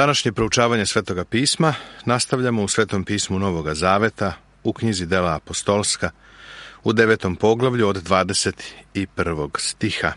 Današnje proučavanje Svetoga pisma nastavljamo u Svetom pismu Novoga Zaveta, u knjizi Dela apostolska, u 9. poglavlju od 21. stiha.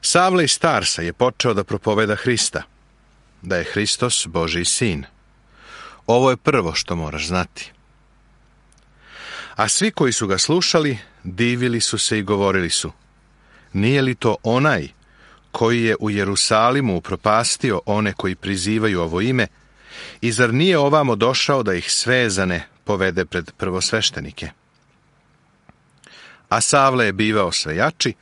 Savle iz Tarsa je počeo da propoveda Hrista, da je Hristos Božji sin. Ovo je prvo što moraš znati. A svi koji su ga slušali, divili su se i govorili su: nije li to onaj koji je u Jerusalimu upropastio one koji prizivaju ovo ime, i zar nije ovamo došao da ih svezane povede pred prvosveštenike? A Savle je bivao sve jači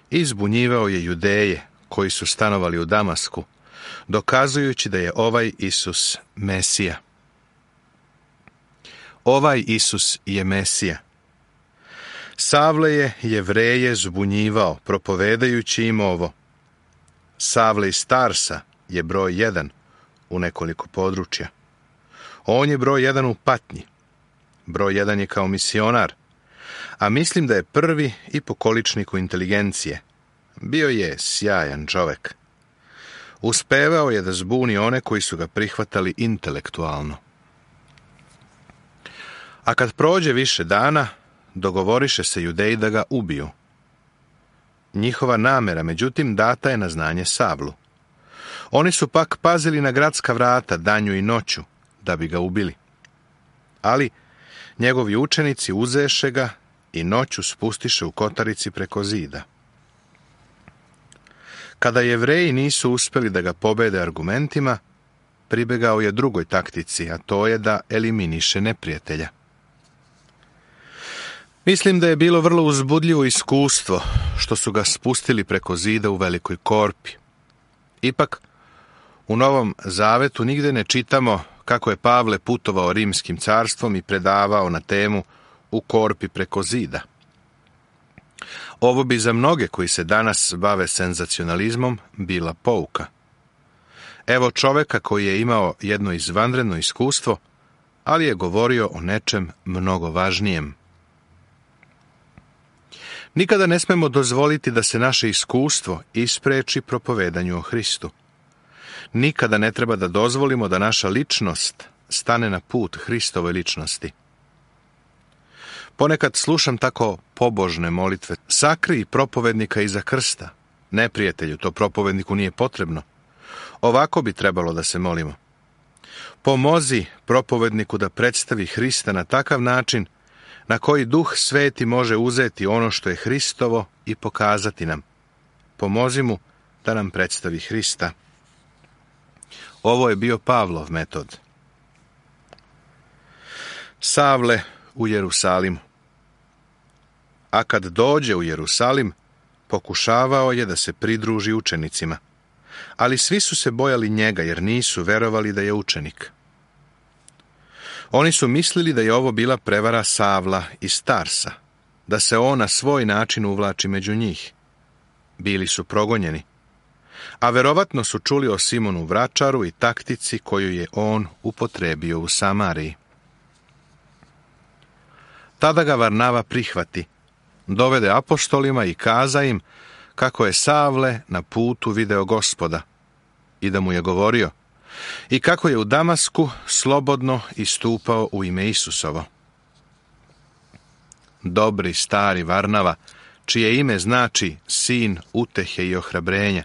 i zbunjivao je Judeje koji su stanovali u Damasku, dokazujući da je ovaj Isus Mesija. Ovaj Isus je Mesija. Savle je Jevreje zbunjivao, propovedajući im ovo. Savle iz Tarsa je broj 1 u nekoliko područja. On je broj 1 u patnji. Broj 1 je kao misionar, a mislim da je prvi i po količniku inteligencije. Bio je sjajan čovek. Uspevao je da zbuni one koji su ga prihvatali intelektualno. A kad prođe više dana, dogovoriše se Judeji da ga ubiju. Njihova namera, međutim, data je na znanje Savlu. Oni su pak pazili na gradska vrata danju i noću, da bi ga ubili. Ali njegovi učenici uzeše ga i noću spustiše u kotarici preko zida. Kada Jevreji nisu uspeli da ga pobede argumentima, pribegao je drugoj taktici, a to je da eliminiše neprijatelja. Mislim da je bilo vrlo uzbudljivo iskustvo što su ga spustili preko zida u velikoj korpi. Ipak, u Novom Zavetu nigde ne čitamo kako je Pavle putovao rimskim carstvom i predavao na temu u korpi preko zida. Ovo bi za mnoge koji se danas bave senzacionalizmom bila pouka. Evo čoveka koji je imao jedno izvanredno iskustvo, ali je govorio o nečem mnogo važnijem. Nikada ne smemo dozvoliti da se naše iskustvo ispreči propovedanju o Hristu. Nikada ne treba da dozvolimo da naša ličnost stane na put Hristove ličnosti. Ponekad slušam tako pobožne molitve: sakrij propovednika iza krsta. Neprijatelju, to propovedniku nije potrebno. Ovako bi trebalo da se molimo: pomozi propovedniku da predstavi Hrista na takav način na koji Duh Sveti može uzeti ono što je Hristovo i pokazati nam. Pomozi mu da nam predstavi Hrista. Ovo je bio Pavlov metod. Savle u Jerusalimu. A kad dođe u Jerusalim, pokušavao je da se pridruži učenicima, ali svi su se bojali njega jer nisu verovali da je učenik. Oni su mislili da je ovo bila prevara Savla iz Tarsa, da se on na svoj način uvlači među njih. Bili su progonjeni, a verovatno su čuli o Simonu Vračaru i taktici koju je on upotrebio u Samariji. Tada ga Varnava prihvati, dovede apostolima i kaza im kako je Savle na putu video Gospoda i da mu je govorio, i kako je u Damasku slobodno istupao u ime Isusovo. Dobri stari Varnava, čije ime znači sin utehe i ohrabrenja,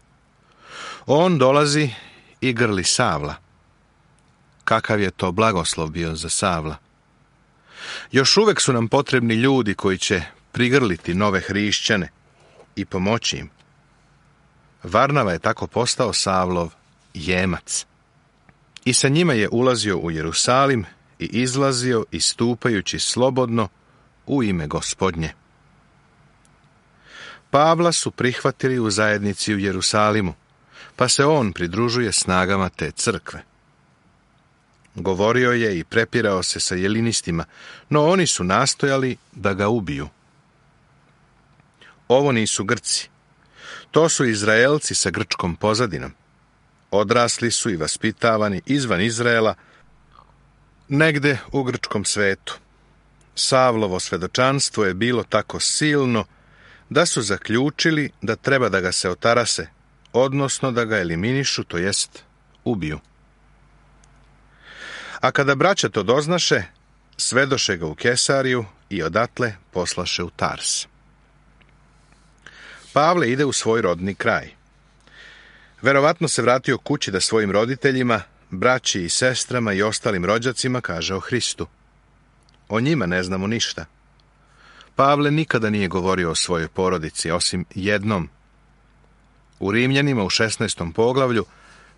on dolazi i grli Savla. Kakav je to blagoslov bio za Savla. Još uvek su nam potrebni ljudi koji će prigrliti nove hrišćane i pomoći im. Varnava je tako postao Savlov jemac. I sa njima je ulazio u Jerusalim i izlazio istupajući slobodno u ime Gospodnje. Pavla su prihvatili u zajednici u Jerusalimu, pa se on pridružuje snagama te crkve. Govorio je i prepirao se sa jelinistima, no oni su nastojali da ga ubiju. Ovo nisu Grci. To su Izraelci sa grčkom pozadinom. Odrasli su i vaspitavani izvan Izraela, negde u grčkom svetu. Savlovo svedočanstvo je bilo tako silno da su zaključili da treba da ga se otarase, odnosno da ga eliminišu, to jest ubiju. A kada braća to doznaše, svedoše ga u Kesariju i odatle poslaše u Tars. Pavle ide u svoj rodni kraj. Verovatno se vratio kući da svojim roditeljima, braći i sestrama i ostalim rođacima kaže o Hristu. O njima ne znamo ništa. Pavle nikada nije govorio o svojoj porodici, osim jednom. U Rimljanima u 16. poglavlju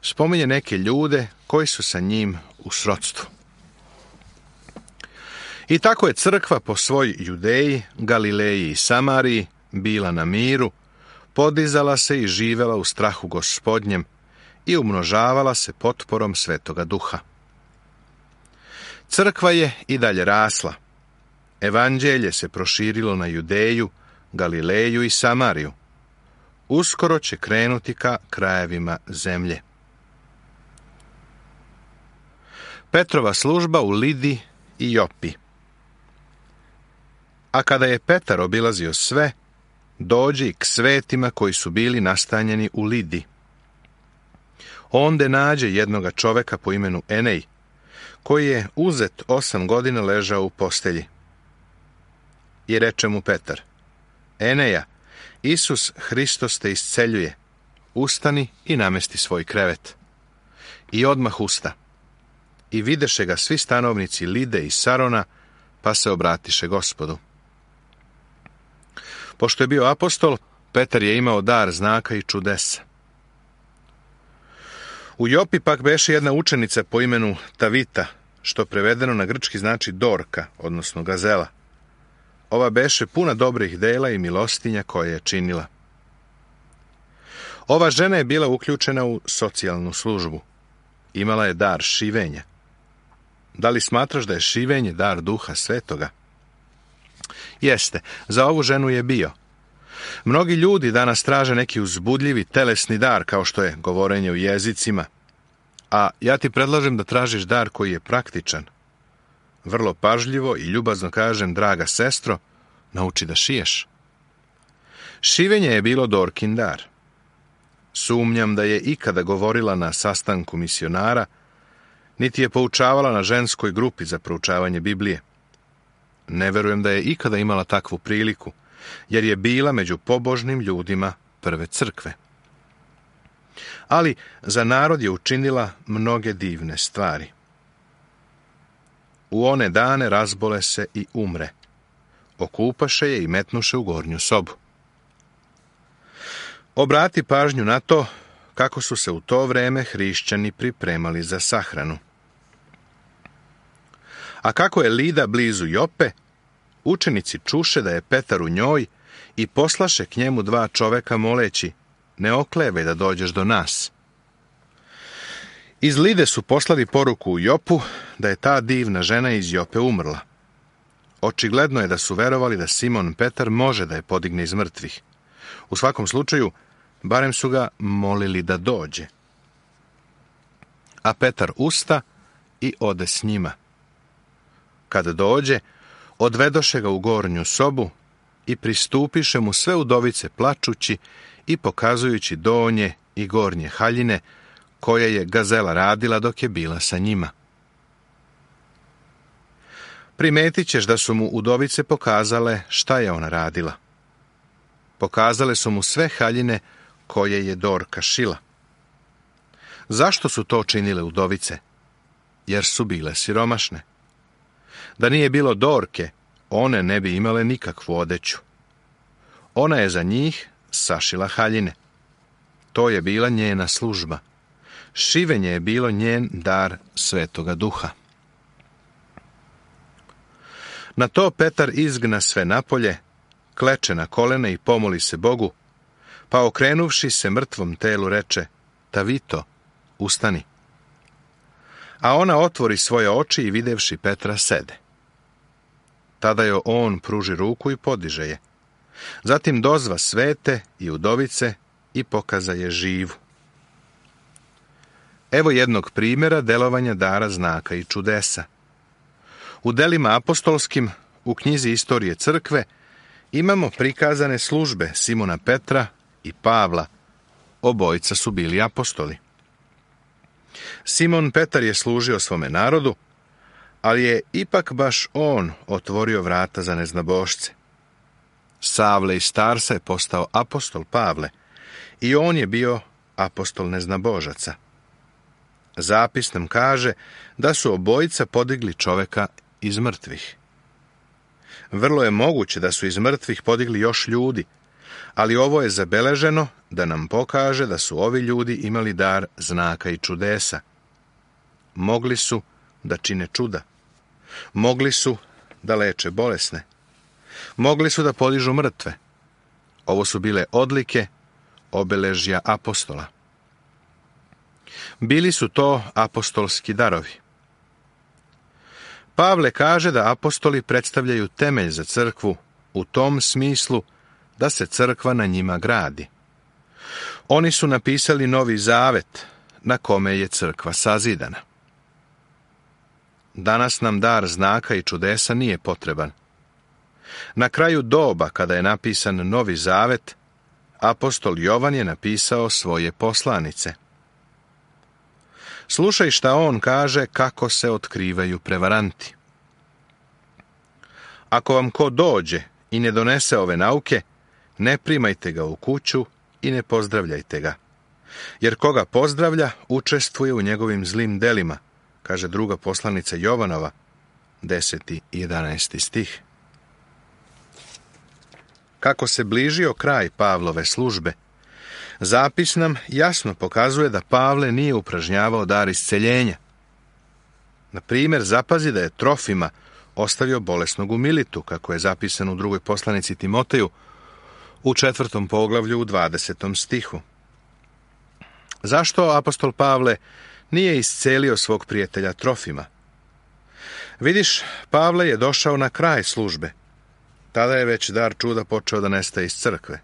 spominje neke ljude koji su sa njim u srodstvu. I tako je crkva po svoj Judeji, Galileji i Samariji bila na miru, podizala se i živela u strahu Gospodnjem i umnožavala se potporom Svetoga Duha. Crkva je i dalje rasla. Evanđelje se proširilo na Judeju, Galileju i Samariju. Uskoro će krenuti ka krajevima zemlje. Petrova služba u Lidi i Jopi. A kada je Petar obilazio sve, dođe k svetima koji su bili nastanjeni u Lidi. Onde nađe jednoga čoveka po imenu Enej, koji je uzet 8 godina ležao u postelji. I reče mu Petar: Eneja, Isus Hristos te isceljuje, ustani i namesti svoj krevet. I odmah usta. I videše ga svi stanovnici Lide i Sarona, pa se obratiše Gospodu. Pošto je bio apostol, Petar je imao dar znaka i čudesa. U Jopi pak beše jedna učenica po imenu Tavita, što prevedeno na grčki znači Dorka, odnosno gazela. Ova beše puna dobrih dela i milostinja koje je činila. Ova žena je bila uključena u socijalnu službu. Imala je dar šivenja. Da li smatraš da je šivenje dar Duha Svetoga? Jeste, za ovu ženu je bio. Mnogi ljudi danas traže neki uzbudljivi telesni dar, kao što je govorenje u jezicima. A ja ti predlažem da tražiš dar koji je praktičan. Vrlo pažljivo i ljubazno kažem, draga sestro, nauči da šiješ. Šivenje je bilo Dorkin dar. Sumnjam da je ikada govorila na sastanku misionara, niti je poučavala na ženskoj grupi za proučavanje Biblije. Ne verujem da je ikada imala takvu priliku, jer je bila među pobožnim ljudima prve crkve. Ali za narod je učinila mnoge divne stvari. U one dane razbole se i umre. Okupaše je i metnuše u gornju sobu. Obrati pažnju na to kako su se u to vreme hrišćani pripremali za sahranu. A kako je Lida blizu Jope, učenici čuše da je Petar u njoj i poslaše k njemu 2 čoveka moleći: ne oklevaj da dođeš do nas. Iz Lide su poslali poruku u Jopu da je ta divna žena iz Jope umrla. Očigledno je da su verovali da Simon Petar može da je podigne iz mrtvih. U svakom slučaju, barem su ga molili da dođe. A Petar usta i ode s njima. Kad dođe, odvedoše ga u gornju sobu i pristupiše mu sve udovice plačući i pokazujući donje i gornje haljine koje je gazela radila dok je bila sa njima. Primetit ćeš da su mu udovice pokazale šta je ona radila. Pokazale su mu sve haljine koje je Dorka šila. Zašto su to činile udovice? Jer su bile siromašne. Da nije bilo Dorke, one ne bi imale nikakvu odeću. Ona je za njih sašila haljine. To je bila njena služba. Šivenje je bilo njen dar Svetoga Duha. Na to Petar izgna sve napolje, kleče na kolena i pomoli se Bogu, pa okrenuvši se mrtvom telu reče: Tavito, ustani. A ona otvori svoje oči i videvši Petra sede. Tada joj on pruži ruku i podiže je. Zatim dozva svete i udovice i pokaza je živu. Evo jednog primjera delovanja dara znaka i čudesa. U delima apostolskim, u knjizi Istorije crkve, imamo prikazane službe Simona Petra i Pavla, obojica su bili apostoli. Simon Petar je služio svome narodu, ali je ipak baš on otvorio vrata za neznabošce. Savle iz Tarsa je postao apostol Pavle i on je bio apostol neznabožaca. Zapis nam kaže da su obojica podigli čoveka iz mrtvih. Vrlo je moguće da su iz mrtvih podigli još ljudi, ali ovo je zabeleženo da nam pokaže da su ovi ljudi imali dar znaka i čudesa. Mogli su da čine čuda. Mogli su da leče bolesne. Mogli su da podižu mrtve. Ovo su bile odlike, obeležja apostola. Bili su to apostolski darovi. Pavle kaže da apostoli predstavljaju temelj za crkvu u tom smislu da se crkva na njima gradi. Oni su napisali Novi Zavet na kome je crkva sazidana. Danas nam dar znaka i čudesa nije potreban. Na kraju doba, kada je napisan Novi Zavet, apostol Jovan je napisao svoje poslanice. Slušaj šta on kaže kako se otkrivaju prevaranti. Ako vam ko dođe i ne donese ove nauke, ne primajte ga u kuću i ne pozdravljajte ga. Jer koga pozdravlja, učestvuje u njegovim zlim delima, kaže druga poslanica Jovanova, 10. i 11. stih. Kako se bližio kraj Pavlove službe, zapis nam jasno pokazuje da Pavle nije upražnjavao dar isceljenja. Na primjer, zapazi da je Trofima ostavio bolesnog u Militu, kako je zapisano u drugoj poslanici Timoteju, u 4. poglavlju u 20. stihu. Zašto apostol Pavle nije iscelio svog prijatelja Trofima? Vidiš, Pavle je došao na kraj službe. Tada je već dar čuda počeo da nestaje iz crkve.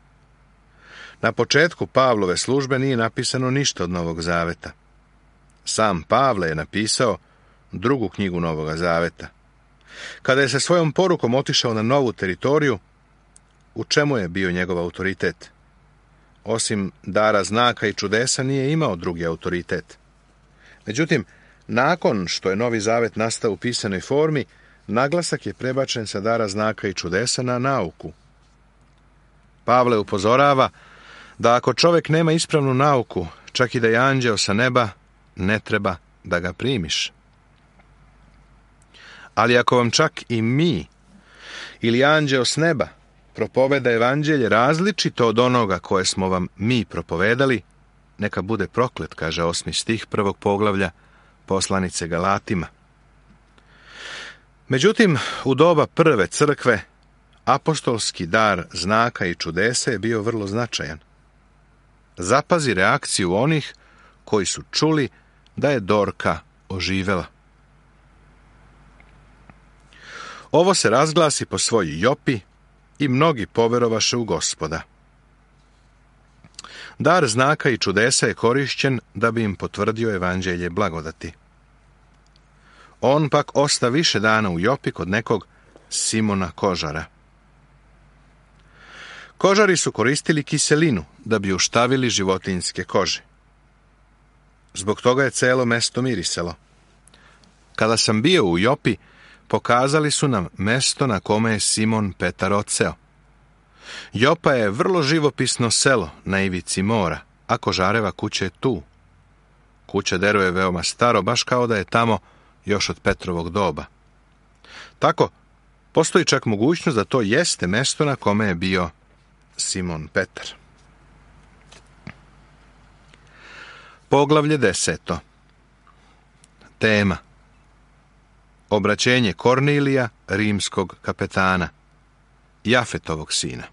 Na početku Pavlove službe nije napisano ništa od Novog Zaveta. Sam Pavle je napisao drugu knjigu Novoga Zaveta. Kada je sa svojom porukom otišao na novu teritoriju, u čemu je bio njegov autoritet? Osim dara znaka i čudesa nije imao drugi autoritet. Međutim, nakon što je Novi Zavet nastao u pisanoj formi, naglasak je prebačen sa dara znaka i čudesa na nauku. Pavle upozorava da ako čovjek nema ispravnu nauku, čak i da je anđeo sa neba, ne treba da ga primiš. Ali ako vam čak i mi ili anđeo s neba propoveda evanđelje različito od onoga koje smo vam mi propovedali, neka bude proklet, kaže 8. stih 1. poglavlja poslanice Galatima. Međutim, u doba prve crkve apostolski dar znaka i čudesa je bio vrlo značajan. Zapazi reakciju onih koji su čuli da je Dorka oživela. Ovo se razglasi po svojoj Jopi i mnogi poverovaše u Gospoda. Dar znaka i čudesa je korišćen da bi im potvrdio evanđelje blagodati. On pak osta više dana u Jopi kod nekog Simona Kožara. Kožari su koristili kiselinu da bi uštavili životinjske kože. Zbog toga je celo mesto mirisalo. Kada sam bio u Jopi, pokazali su nam mesto na kome je Simon Petar odseo. Jopa je vrlo živopisno selo na ivici mora, a Kožareva kuća je tu. Kuća Dero je veoma staro, baš kao da je tamo još od Petrovog doba. Tako, postoji čak mogućnost da to jeste mesto na kome je bio Simon Petar. Poglavlje 10. Tema: obraćenje Kornilija, rimskog kapetana, Jafetovog sina.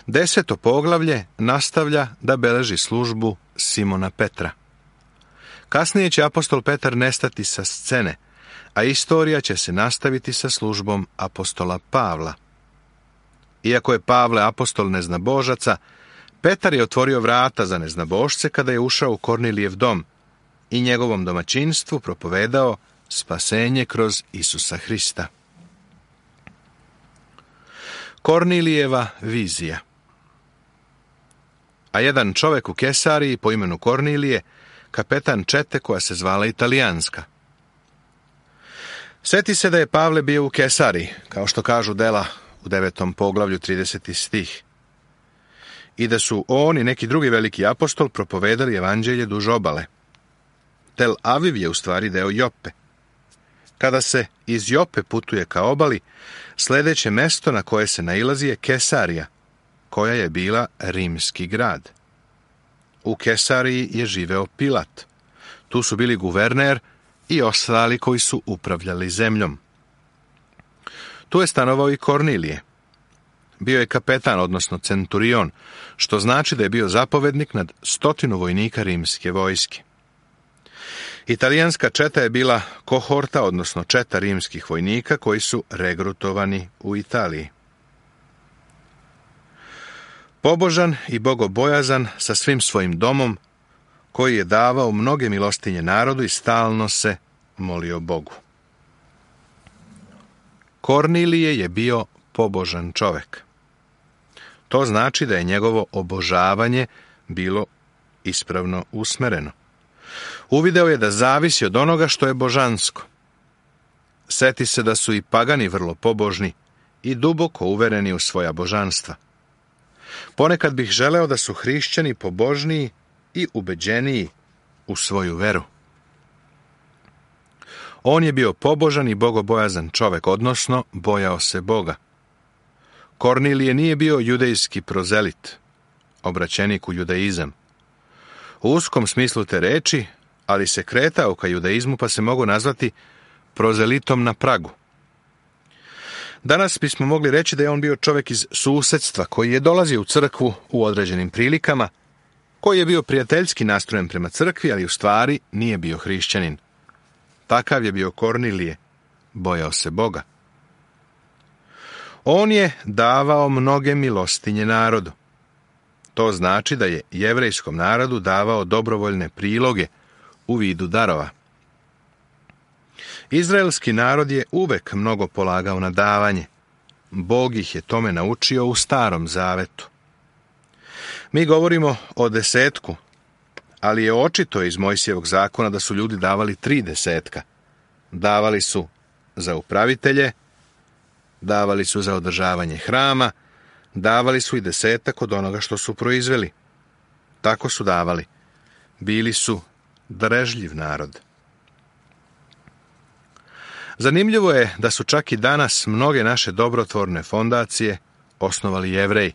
10. poglavlje nastavlja da beleži službu Simona Petra. Kasnije će apostol Petar nestati sa scene, a istorija će se nastaviti sa službom apostola Pavla. Iako je Pavle apostol neznabožaca, Petar je otvorio vrata za neznabošce kada je ušao u Kornilijev dom i njegovom domaćinstvu propovedao spasenje kroz Isusa Hrista. Kornilijeva vizija. a jedan čovek u Kesariji po imenu Kornilije, kapetan čete koja se zvala Italijanska. Sjeti se da je Pavle bio u Kesariji, kao što kažu dela u 9. poglavlju 30. stih. I da su on i neki drugi veliki apostol propovedali evanđelje duž obale. Tel Aviv je u stvari deo Jope. Kada se iz Jope putuje ka obali, sljedeće mesto na koje se nailazi je Kesarija, koja je bila rimski grad. U Kesariji je živeo Pilat. Tu su bili guverner i ostali koji su upravljali zemljom. Tu je stanovao i Kornilije. Bio je kapetan, odnosno centurion, što znači da je bio zapovednik nad 100 vojnika rimske vojske. Italijanska četa je bila kohorta, odnosno četa rimskih vojnika koji su regrutovani u Italiji. Pobožan i bogobojazan sa svim svojim domom, koji je davao mnoge milostinje narodu i stalno se molio Bogu. Kornilije je bio pobožan čovek. To znači da je njegovo obožavanje bilo ispravno usmereno. Uvideo je da zavisi od onoga što je božansko. Seti se da su i pagani vrlo pobožni i duboko uvereni u svoja božanstva. Ponekad bih želeo da su hrišćani pobožniji i ubeđeniji u svoju veru. On je bio pobožan i bogobojazan čovek, odnosno bojao se Boga. Kornilije nije bio judejski prozelit, obraćenik u judaizam. U uskom smislu te reči, ali se kretao ka judaizmu pa se mogu nazvati prozelitom na pragu. Danas bismo mogli reći da je on bio čovjek iz susedstva koji je dolazio u crkvu u određenim prilikama, koji je bio prijateljski nastrojen prema crkvi, ali u stvari nije bio hrišćanin. Takav je bio Kornilije, bojao se Boga. On je davao mnoge milostinje narodu. To znači da je jevrejskom narodu davao dobrovoljne priloge u vidu darova. Izraelski narod je uvek mnogo polagao na davanje. Bog ih je tome naučio u Starom Zavetu. Mi govorimo o 10, ali je očito iz Mojsijevog zakona da su ljudi davali 3 10. Davali su za upravitelje, davali su za održavanje hrama, davali su i 10 od onoga što su proizveli. Tako su davali. Bili su darežljiv narod. Zanimljivo je da su čak i danas mnoge naše dobrotvorne fondacije osnovali Jevreji.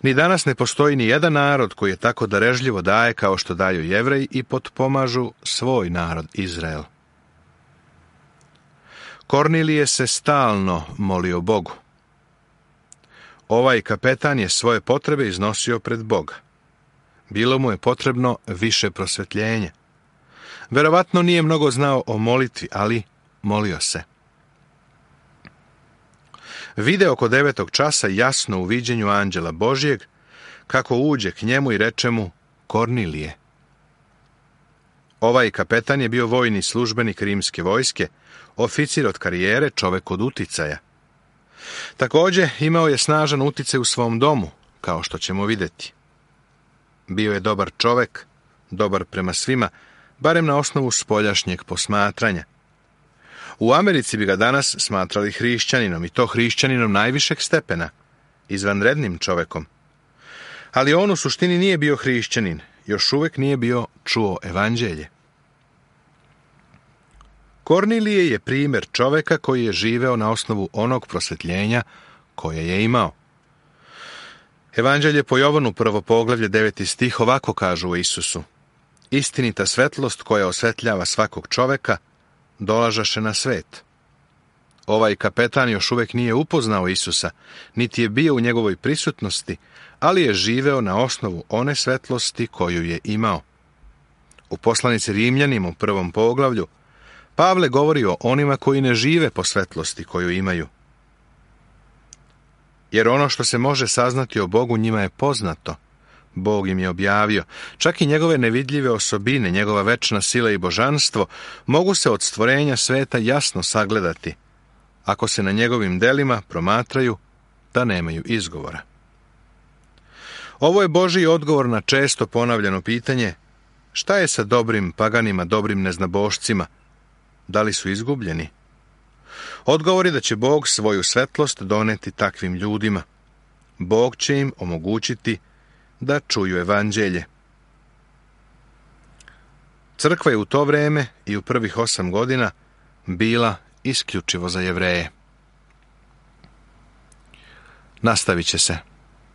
Ni danas ne postoji ni jedan narod koji je tako darežljivo daje kao što daju Jevreji i potpomažu svoj narod Izrael. Kornilije se stalno molio Bogu. Ovaj kapetan je svoje potrebe iznosio pred Boga. Bilo mu je potrebno više prosvetljenja. Verovatno nije mnogo znao o molitvi, ali molio se. Vide oko 9. časa jasno u viđenju anđela Božjeg, kako uđe k njemu i reče mu: Kornilije. Ovaj kapetan je bio vojni službenik rimske vojske, oficir od karijere, čovek od uticaja. Također imao je snažan uticaj u svom domu, kao što ćemo vidjeti. Bio je dobar čovek, dobar prema svima, barem na osnovu spoljašnjeg posmatranja. U Americi bi ga danas smatrali hrišćaninom, i to hrišćaninom najvišeg stepena, izvanrednim čovekom. Ali on u suštini nije bio hrišćanin, još uvijek nije bio čuo evanđelje. Kornilije je primjer čoveka koji je živeo na osnovu onog prosvetljenja koje je imao. Evanđelje po Jovanu 1. poglavlje 9. stih ovako kažu o Isusu: Istinita svetlost koja osvetljava svakog čoveka dolažaše na svet. Ovaj kapetan još uvijek nije upoznao Isusa, niti je bio u njegovoj prisutnosti, ali je živeo na osnovu one svetlosti koju je imao. U poslanici Rimljanima u 1. poglavlju Pavle govori o onima koji ne žive po svetlosti koju imaju. Jer ono što se može saznati o Bogu njima je poznato. Bog im je objavio. Čak i njegove nevidljive osobine, njegova večna sila i božanstvo mogu se od stvorenja sveta jasno sagledati, ako se na njegovim delima promatraju da nemaju izgovora. Ovo je Božji odgovor na često ponavljano pitanje: šta je sa dobrim paganima, dobrim neznabošcima? Da li su izgubljeni? Odgovor je da će Bog svoju svetlost doneti takvim ljudima. Bog će im omogućiti da čuju evanđelje. Crkva je u to vreme i u prvih 8 godina bila isključivo za Jevreje. Nastavit će se.